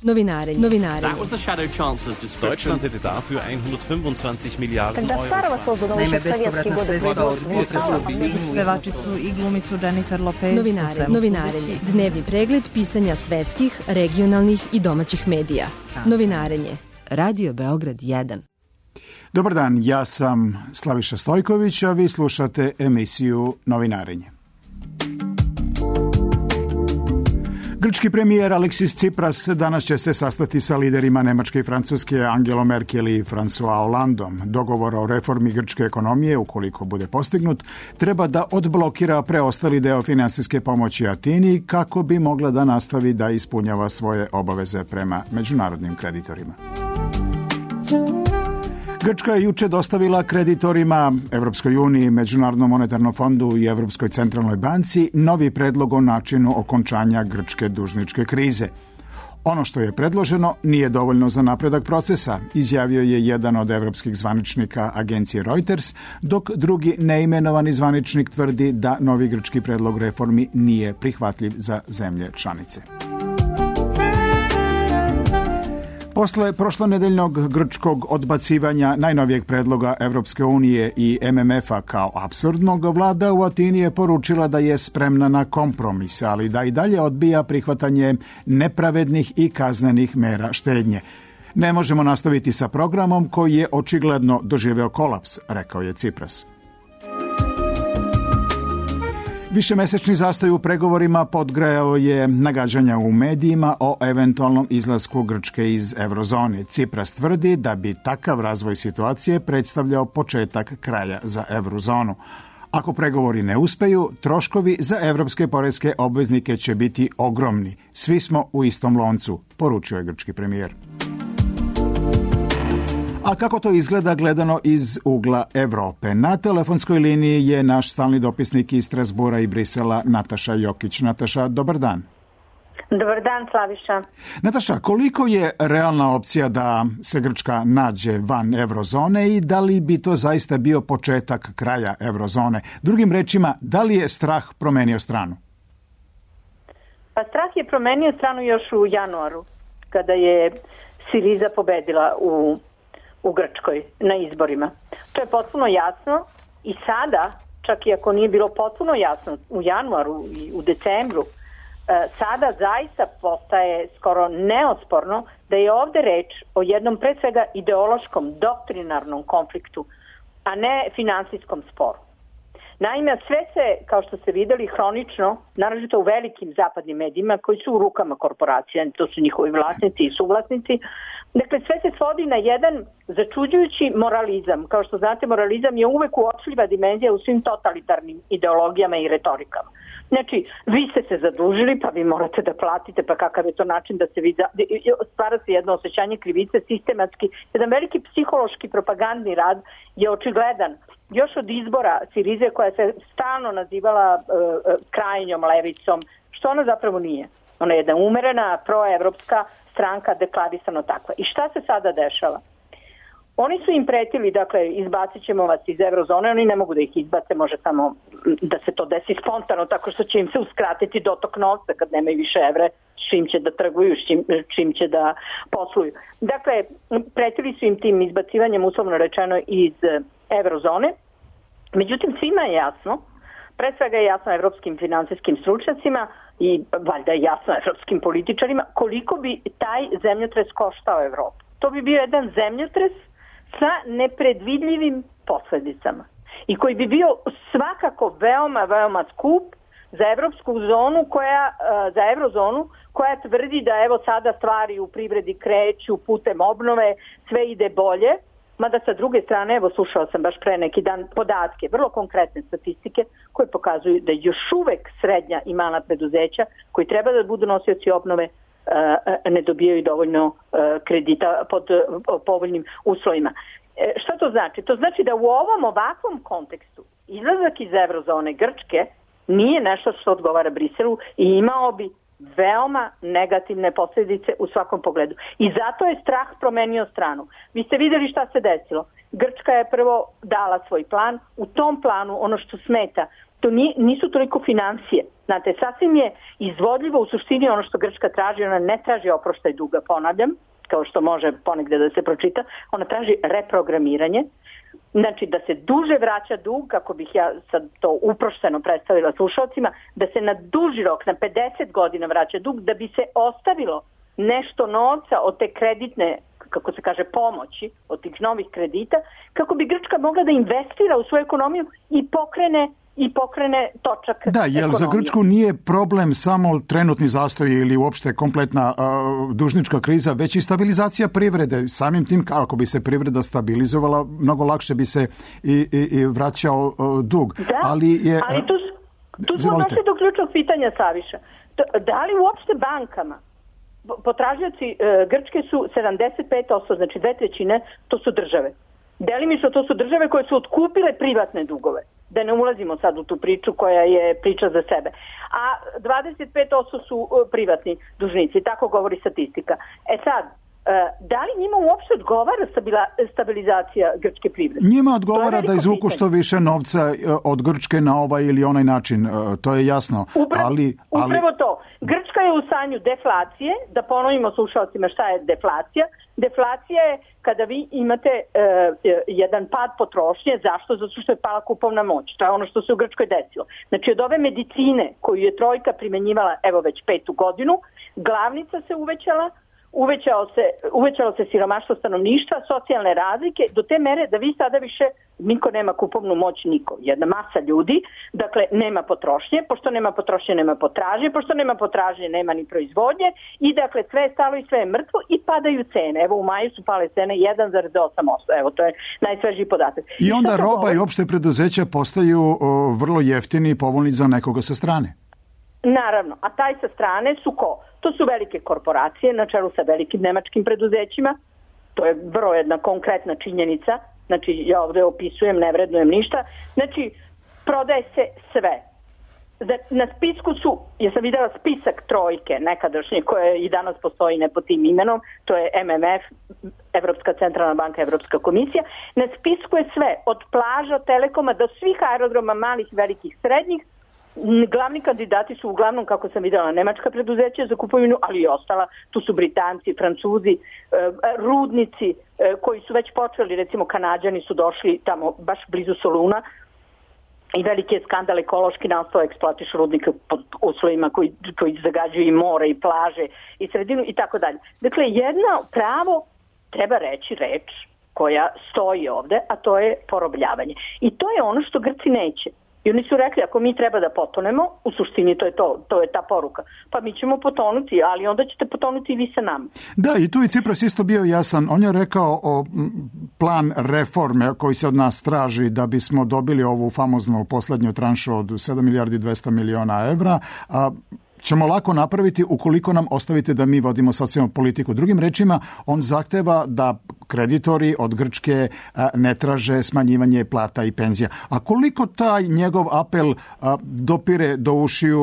Novinarenje. Deutschland hätte dafür 125 Milijarden Euro. Naime, bespovratna sredstva od potresa Pevačicu i glumicu Jennifer Lopez. Novinarenje. Dnevni pregled pisanja svetskih, regionalnih i domaćih medija. Novinarenje. Radio Beograd 1. Dobar dan, ja sam Slaviša Stojković, a vi slušate emisiju Novinarenje. Grčki premijer Aleksis Tsipras danas će se sastati sa liderima Nemačke i Francuske Angelom Merkel i François Hollandom. Dogovor o reformi grčke ekonomije, ukoliko bude postignut, treba da odblokira preostali deo finansijske pomoći Atini kako bi mogla da nastavi da ispunjava svoje obaveze prema međunarodnim kreditorima. Grčka je juče dostavila kreditorima Evropskoj uniji, Međunarodnom monetarnom fondu i Evropskoj centralnoj banci novi predlog o načinu okončanja grčke dužničke krize. Ono što je predloženo nije dovoljno za napredak procesa, izjavio je jedan od evropskih zvaničnika agencije Reuters, dok drugi neimenovani zvaničnik tvrdi da novi grčki predlog reformi nije prihvatljiv za zemlje članice. Posle prošlonedeljnog grčkog odbacivanja najnovijeg predloga Evropske unije i MMF-a kao apsurdnog, vlada u Atini je poručila da je spremna na kompromis, ali da i dalje odbija prihvatanje nepravednih i kaznenih mera štednje. Ne možemo nastaviti sa programom koji je očigledno doživeo kolaps, rekao je Tsipras. Višemesečni zastoj u pregovorima podgrejao je nagađanja u medijima o eventualnom izlasku Grčke iz eurozone. Tsipras tvrdi da bi takav razvoj situacije predstavljao početak kraja za eurozonu. Ako pregovori ne uspeju, troškovi za evropske poreske obveznike će biti ogromni. Svi smo u istom loncu, poručio je grčki premijer. A kako to izgleda gledano iz ugla Evrope? Na telefonskoj liniji je naš stalni dopisnik iz Strasbura i Brisela Nataša Jokić. Nataša, dobar dan. Dobar dan, Slaviša. Nataša, koliko je realna opcija da se Grčka nađe van eurozone i da li bi to zaista bio početak kraja eurozone? Drugim rečima, da li je strah promenio stranu? Pa strah je promenio stranu još u januaru, kada je Siriza pobedila u Grčkoj na izborima. To je potpuno jasno i sada, čak i ako nije bilo potpuno jasno u januaru i u decembru, sada zaista postaje skoro neosporno da je ovde reč o jednom pre svega ideološkom, doktrinarnom konfliktu, a ne finansijskom sporu. Naime, sve se, kao što ste videli, hronično, naročito u velikim zapadnim medijima koji su u rukama korporacija, to su njihovi vlasnici i suvlasnici. Dakle, sve se svodi na jedan začuđujući moralizam. Kao što znate, moralizam je uvek uočljiva dimenzija u svim totalitarnim ideologijama i retorikama. Znači, vi ste se zadužili, pa vi morate da platite, pa kakav je to način da se stvara se jedno osjećanje krivice sistematski. Jedan veliki psihološki propagandni rad je očigledan. Još od izbora Sirize koja se stalno nazivala krajnjom levicom, što ona zapravo nije. Ona je jedna umerena, proevropska stranka, deklarisano takva. I šta se sada dešava? Oni su im pretili, dakle, izbacit ćemo vas iz eurozone, oni ne mogu da ih izbace, može samo da se to desi spontano, tako što će im se uskratiti dotok novca kad nemaju više evre, s čim će da trguju, s čim će da posluju. Dakle, pretili su im tim izbacivanjem, uslovno rečeno, iz eurozone. Međutim, svima je jasno, pre svega je jasno evropskim finansijskim stručnjacima i valjda je jasno evropskim političarima koliko bi taj zemljotres koštao Evropu. To bi bio jedan zemljotres sa nepredvidljivim posledicama i koji bi bio svakako veoma, veoma skup za evropsku zonu za eurozonu koja tvrdi da evo sada stvari u privredi kreću putem obnove, sve ide bolje. Mada sa druge strane, evo slušao sam baš pre neki dan podatke, vrlo konkretne statistike koje pokazuju da još uvek srednja i mala preduzeća koji treba da budu nosioci obnove ne dobijaju dovoljno kredita pod povoljnim uslovima. Šta to znači? To znači da u ovom ovakvom kontekstu izlazak iz eurozone Grčke nije nešto što odgovara Briselu i imao bi veoma negativne posljedice u svakom pogledu. I zato je strah promenio stranu. Vi ste vidjeli šta se desilo. Grčka je prvo dala svoj plan. U tom planu ono što smeta To nisu toliko financije. Znate, sasvim je izvodljivo u suštini ono što Grčka traži, ona ne traži oproštaj duga, ponavljam, kao što može ponegde da se pročita, ona traži reprogramiranje, znači da se duže vraća dug, kako bih ja sad to uprošteno predstavila slušalcima, da se na duži rok, na 50 godina vraća dug, da bi se ostavilo nešto novca od te kreditne, kako se kaže, pomoći, od tih novih kredita, kako bi Grčka mogla da investira u svoju ekonomiju i pokrene točak ekonomije. Jer za Grčku nije problem samo trenutni zastoj ili uopšte kompletna dužnička kriza, već i stabilizacija privrede. Samim tim, ako bi se privreda stabilizovala, mnogo lakše bi se i vraćao dug. Da, ali tu smo došli do ključnog pitanja, Saviša. Da li uopšte bankama potražioci Grčke su 75%, znači 2/3, to su države. Delimično to su države koje su otkupile privatne dugove. Da ne ulazimo sad u tu priču koja je priča za sebe. A 25% su privatni dužnici, tako govori statistika. Sad, da li njima uopšte odgovara stabilizacija grčke privrede? Njima odgovara da izvuku što više novca od Grčke na ovaj ili onaj način, to je jasno. Upravo to. Grčka je u stanju deflacije, da ponovimo slušalcima šta je deflacija. Deflacija je kada vi imate jedan pad potrošnje. Zašto? Zato što je pala kupovna moć. To je ono što se u Grčkoj desilo. Znači od ove medicine koju je trojka primenjivala evo već 5. godinu, glavnica se uvećalo se siromaštvo stanovništva, socijalne razlike, do te mere da vi sada više niko nema kupovnu moć, niko. Jedna masa ljudi, dakle nema potrošnje, pošto nema potrošnje nema potražnje, pošto nema potražnje nema ni proizvodnje i dakle sve je stalo i sve je mrtvo i padaju cene. Evo u maju su pale cene 1,8%. Evo to je najsvežiji podatak. I onda roba i opšte preduzeća postaju vrlo jeftini i povoljni za nekoga sa strane. Naravno, a taj sa strane su ko? To su velike korporacije na čelu sa velikim nemačkim preduzećima. To je vrlo jedna konkretna činjenica. Znači, ja ovdje opisujem, ne vrednujem ništa. Znači, prodaje se sve. Na spisku su, ja sam videla spisak trojke nekadašnje, koje i danas postoji ne pod tim imenom, to je MMF, Evropska centralna banka, Evropska komisija. Na spisku je sve, od plaža, telekoma do svih aerodroma, malih, velikih, srednjih. Glavni kandidati su uglavnom, kako sam vidjela, nemačka preduzeća za kupovinu, ali i ostala. Tu su Britanci, Francuzi, rudnici koji su već počeli, recimo Kanađani su došli tamo baš blizu Soluna i veliki je skandal ekološki nastao, eksploatišu rudnike pod uslovima koji zagađuju i more i plaže i sredinu i tako dalje. Dakle, jedno pravo, treba reći reč koja stoji ovde, a to je porobljavanje. I to je ono što Grci neće. I oni su rekli, ako mi treba da potonemo, u suštini to je ta poruka. Pa mi ćemo potonuti, ali onda ćete potonuti i vi sa nama. Da, i tu je Cipras isto bio jasan. On je rekao o plan reforme koji se od nas traži da bismo dobili ovu famoznu poslednju tranšu od 7 milijardi 200 miliona evra, ćemo lako napraviti ukoliko nam ostavite da mi vodimo socijalnu politiku. Drugim rečima, on zahteva da kreditori od Grčke ne traže smanjivanje plata i penzija. A koliko taj njegov apel dopire do ušiju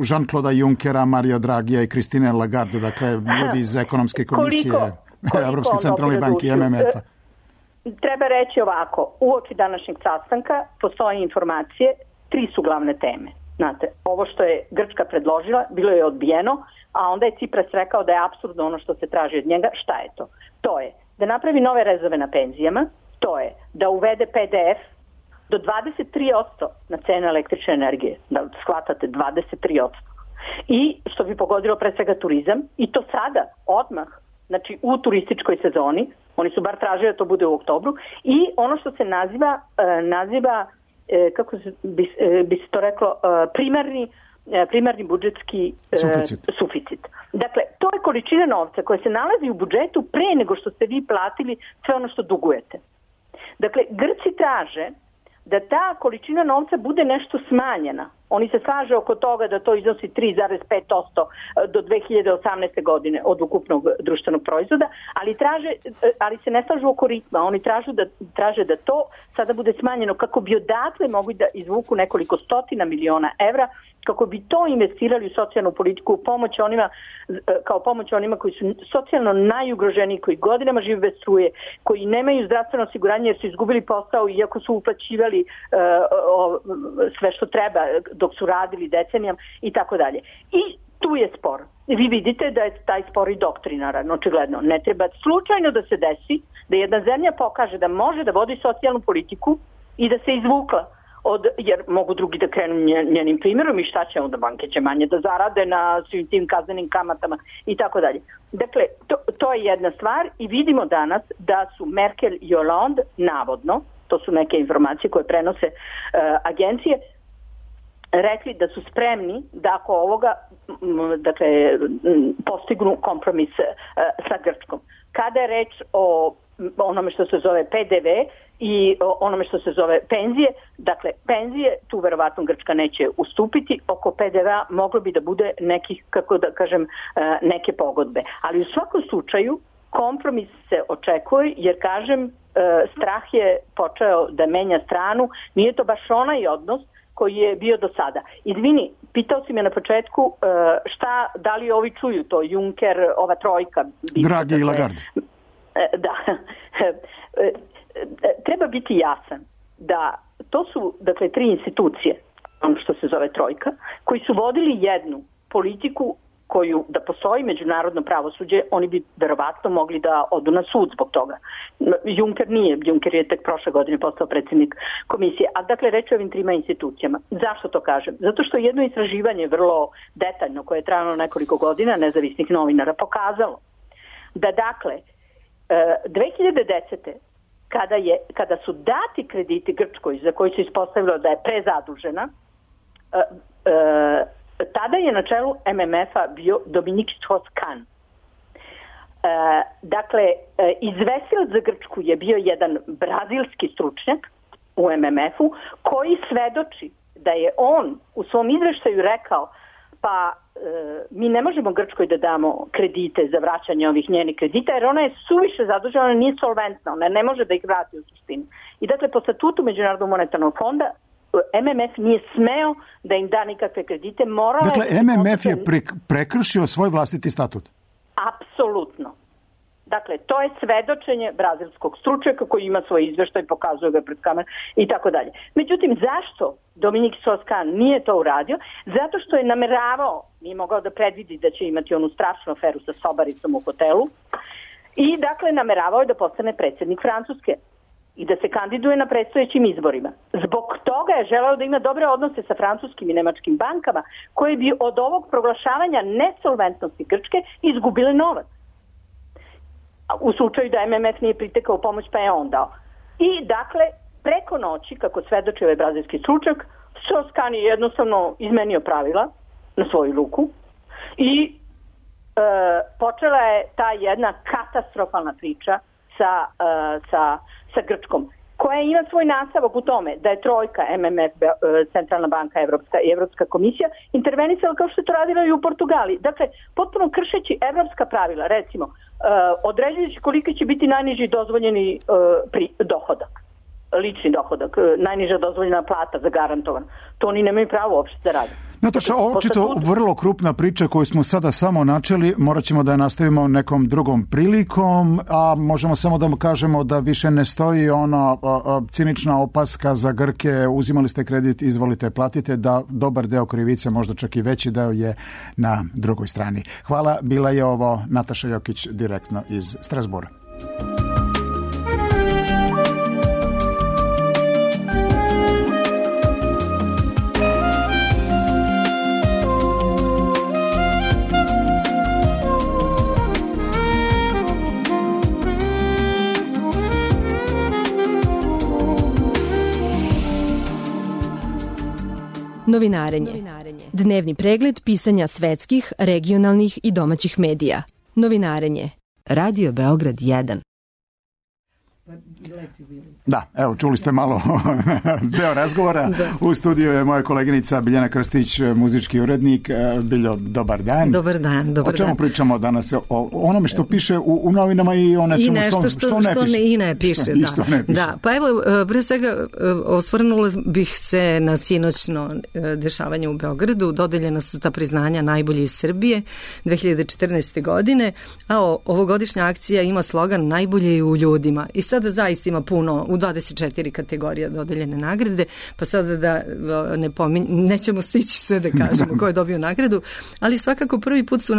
Jean-Claude Junckera, Mario Dragija i Christine Lagarde, dakle ljudi iz ekonomske komisije, Evropske centralne banke i MMF-a? Treba reći ovako, uoči današnjeg sastanka postoje informacije, 3 su glavne teme. Znate, ovo što je Grčka predložila, bilo je odbijeno, a onda je Cipras rekao da je apsurdno ono što se traži od njega. Šta je to? To je da napravi nove rezove na penzijama, to je da uvede PDF do 23% na cene električne energije, da shvatate 23%. I što bi pogodilo pre svega turizam, i to sada, odmah, znači u turističkoj sezoni, oni su bar tražili da to bude u oktobru, i ono što se naziva kako bi se to reklo, primarni budžetski suficit. Dakle, to je količina novca koja se nalazi u budžetu pre nego što ste vi platili sve ono što dugujete. Dakle, Grci traže da ta količina novca bude nešto smanjena. Oni se slaže oko toga da to iznosi 3,5% do 2018. godine od ukupnog društvenog proizvoda, ali se ne slažu oko ritma. Oni traže da to sada bude smanjeno kako bi odatle mogli da izvuku nekoliko stotina miliona evra kako bi to investirali u socijalnu politiku, pomoć onima, kao pomoć onima koji su socijalno najugroženiji, koji godinama žive bez struje, koji nemaju zdravstveno osiguranje jer su izgubili posao iako su uplaćivali sve što treba dok su radili decenijama i tako dalje. I tu je spor. Vi vidite da je taj spor i doktrinaran, očigledno. Ne treba slučajno da se desi da jedna zemlja pokaže da može da vodi socijalnu politiku i da se izvukla jer mogu drugi da krenu njenim primjerom i šta će onda, banke će manje da zarade na svim tim kaznenim kamatama i tako dalje. Dakle, to je jedna stvar i vidimo danas da su Merkel i Hollande navodno, to su neke informacije koje prenose agencije, rekli da su spremni da ako ovoga postignu kompromis sa Grčkom. Kada je reč o onome što se zove PDV i onome što se zove penzije, dakle penzije, tu verovatno Grčka neće ustupiti, oko PDV-a moglo bi da bude nekih, kako da kažem, neke pogodbe. Ali u svakom slučaju kompromis se očekuje jer, kažem, strah je počeo da menja stranu, nije to baš onaj odnos koji je bio do sada. Izvini, pitao si me na početku da li ovi čuju to, Juncker, ova trojka. Dragi i Lagarde. Da. Treba biti jasan da to su, dakle, 3 institucije, ono što se zove trojka, koji su vodili jednu politiku koju, da postoji međunarodno pravosuđe, oni bi verovatno mogli da odu na sud zbog toga. Juncker nije, Juncker je tek prošle godine postao predsjednik komisije, a dakle reći o ovim 3 institucijama. Zašto to kažem? Zato što jedno istraživanje vrlo detaljno, koje je trajalo nekoliko godina, nezavisnih novinara, pokazalo da, dakle, 2010. Kada su dati krediti Grčkoj za koji se ispostavilo da je prezadužena, tada je na čelu MMF-a bio Dominique Strauss-Kahn. Dakle, izvestilac za Grčku je bio jedan brazilski stručnjak u MMF-u koji svedoči da je on u svom izveštaju rekao pa mi ne možemo Grčkoj da damo kredite za vraćanje ovih njenih kredita jer ona je suviše zadužena, ona nije solventna, ona ne može da ih vrati u suštini. I dakle, po statutu Međunarodnog monetarnog fonda MMF nije smeo da im da nikakve kredite. Dakle, MMF je prekršio svoj vlastiti statut? Apsolutno. Dakle, to je svedočenje brazilskog stručnjaka koji ima svoj izveštaj, pokazuje ga pred kamerom i tako dalje. Međutim, zašto Dominique Strauss-Kahn nije to uradio? Zato što je nameravao, nije mogao da predvidi da će imati onu strašnu aferu sa sobaricom u hotelu i dakle nameravao je da postane predsjednik Francuske i da se kandiduje na predstojećim izborima. Zbog toga je želeo da ima dobre odnose sa francuskim i nemačkim bankama koje bi od ovog proglašavanja nesolventnosti Grčke izgubile novac. U slučaju da MMF nije pritekao u pomoć, pa je on dao. I dakle, preko noći, kako svedoči ovaj brazilski stručnjak, Strauss-Kahn je jednostavno izmenio pravila na svoju ruku i počela je ta jedna katastrofalna priča sa Grčkom, koja ima svoj nastavak u tome da je trojka, MMF, Centralna banka Evropska i Evropska komisija intervenisala kao što je to radila i u Portugaliji. Dakle, potpuno kršeći evropska pravila, recimo, određujući koliki će biti najniži dozvoljeni dohodak, lični dohodak, najniža dozvoljena plata zagarantovan. To oni nemaju pravo uopšte da rade. Nataša, očito vrlo krupna priča koju smo sada samo načeli, morat ćemo da je nastavimo nekom drugom prilikom, a možemo samo da kažemo da više ne stoji ona cinična opaska za Grke, uzimali ste kredit, izvolite, platite, da dobar deo krivice, možda čak i veći deo, je na drugoj strani. Hvala, bila je ovo Nataša Jokić direktno iz Strasbura. Novinarenje. Dnevni pregled pisanja svetskih, regionalnih i domaćih medija. Novinarenje. Radio Beograd 1. Da, evo, čuli ste malo deo razgovora. U studiju je moja koleginica Biljana Krstić, muzički urednik. Biljo, dobar dan. Dobar dan. O čemu pričamo danas? O onome što piše u novinama i o nečemu što ne piše. I ne piše, da. Pa evo, pre svega, osvrnula bih se na sinoćno dešavanje u Beogradu. Dodeljena su ta priznanja najbolji iz Srbije 2014. godine, a ovogodišnja akcija ima slogan najbolje u ljudima. I sada zaista ima puno, u 24 kategorija dodeljene nagrade, pa sada da nećemo stići sve da kažemo ko je dobio nagradu, ali svakako prvi put su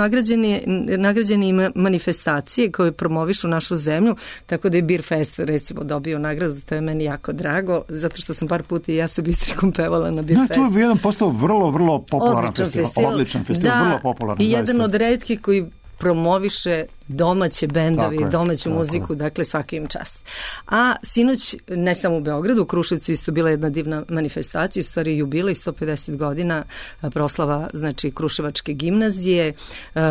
nagrađeni manifestacije koje promovišu našu zemlju, tako da je Beer Fest recimo dobio nagradu, to je meni jako drago, zato što sam par puta i ja sa Bistrikom pevala na Beer Fest. To je jedan postao vrlo popularan festival. Odličan festival, vrlo popularan. I jedan od retkih koji promoviše domaće bendovi, domaću muziku, dakle svaki im čast. A sinoć, ne samo u Beogradu, u Kruševcu isto bila jedna divna manifestacija, u stvari jubilej 150 godina proslava, znači Kruševačke gimnazije.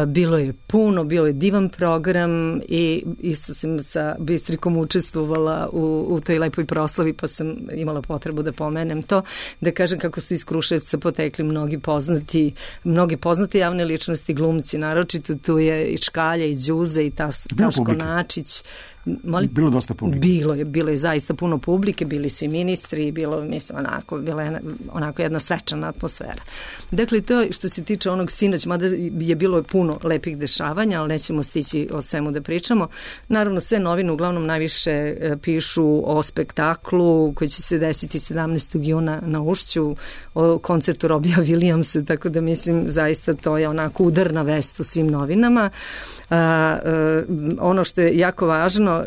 Bilo je puno, bilo je divan program i isto sam sa Bistrikom učestvovala u toj lepoj proslavi, pa sam imala potrebu da pomenem to, da kažem kako su iz Kruševca potekli mnogi poznati javne ličnosti, glumci, naročito tu je i Škalja i Đuza i Taško Načić. Bilo dosta publike. Bilo je zaista puno publike, bili su i ministri, bila je onako jedna svečana atmosfera. Dakle, to što se tiče onog sinoć, mada je bilo puno lepih dešavanja, ali nećemo stići o svemu da pričamo. Naravno, sve novine uglavnom najviše pišu o spektaklu koji će se desiti 17. juna na Ušću, o koncertu Robija Williamsa, tako da mislim zaista to je onako udarna vest u svim novinama. Ono što je jako važno,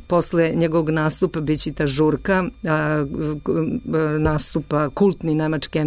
posle njegovog nastupa biće ta žurka, nastupa kultni nemački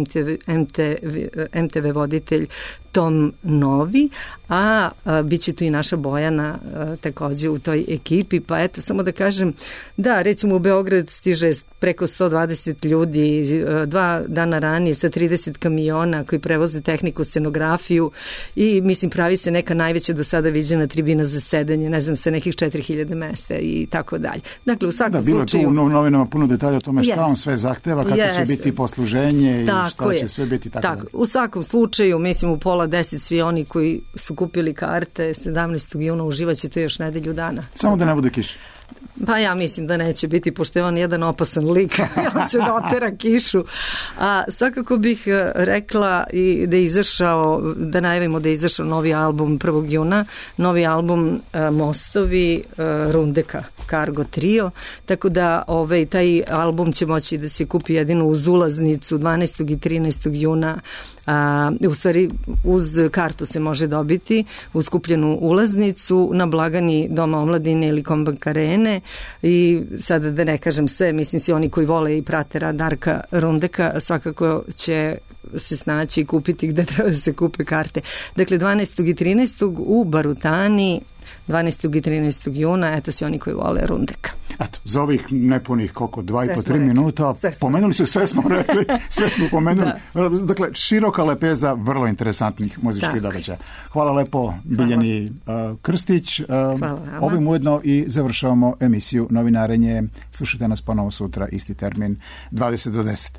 MTV voditelj Tom Novi, a bit će tu i naša Bojana takođe u toj ekipi, pa eto, samo da kažem, da, recimo u Beograd stiže preko 120 ljudi, 2 dana ranije sa 30 kamiona koji prevoze tehniku, scenografiju i mislim pravi se neka najveća do sada viđena tribina za sedanje, ne znam, sa nekih 4000 mesta i tako dalje. Dakle, u svakom slučaju... Da, bilo je tu u novinama puno detalja o tome šta on sve zahteva, kako će biti posluženje i šta će sve biti tako dalje. U svakom slučaju, mislim, u 9:30 svi oni koji su kupili karte 17. juna uživaće to još nedelju dana. Samo da ne bude kiše. Pa ja mislim da neće biti, pošto je on jedan opasan lik, on će da otera kišu. A svakako bih rekla i da je izašao, da najavimo da je izašao novi album 1. juna, novi album Mostovi Rundeka, Cargo Trio, tako da taj album će moći da se kupi jedino uz ulaznicu 12. i 13. juna. U stvari uz kartu se može dobiti, uz kupljenu ulaznicu na blagani Doma omladine ili Kombank Arene i sada da ne kažem sve, mislim svi oni koji vole i prate rad Darka Rundeka svakako će se snaći i kupiti gde treba da se kupe karte. Dakle, 12. i 13. u Barutani, 12. i 13. juna, eto si oni koji vole Rundeka. Eto, za ovih nepunih koliko, 2,5-3 minuta, pomenuli su, sve smo rekli, sve smo pomenuli. Dakle, široka lepeza vrlo interesantnih muzičkih događaja. Hvala lepo Biljani Krstić. Ovim ujedno i završavamo emisiju Novinarenje. Slušajte nas ponovo sutra, isti termin, 20 do 10.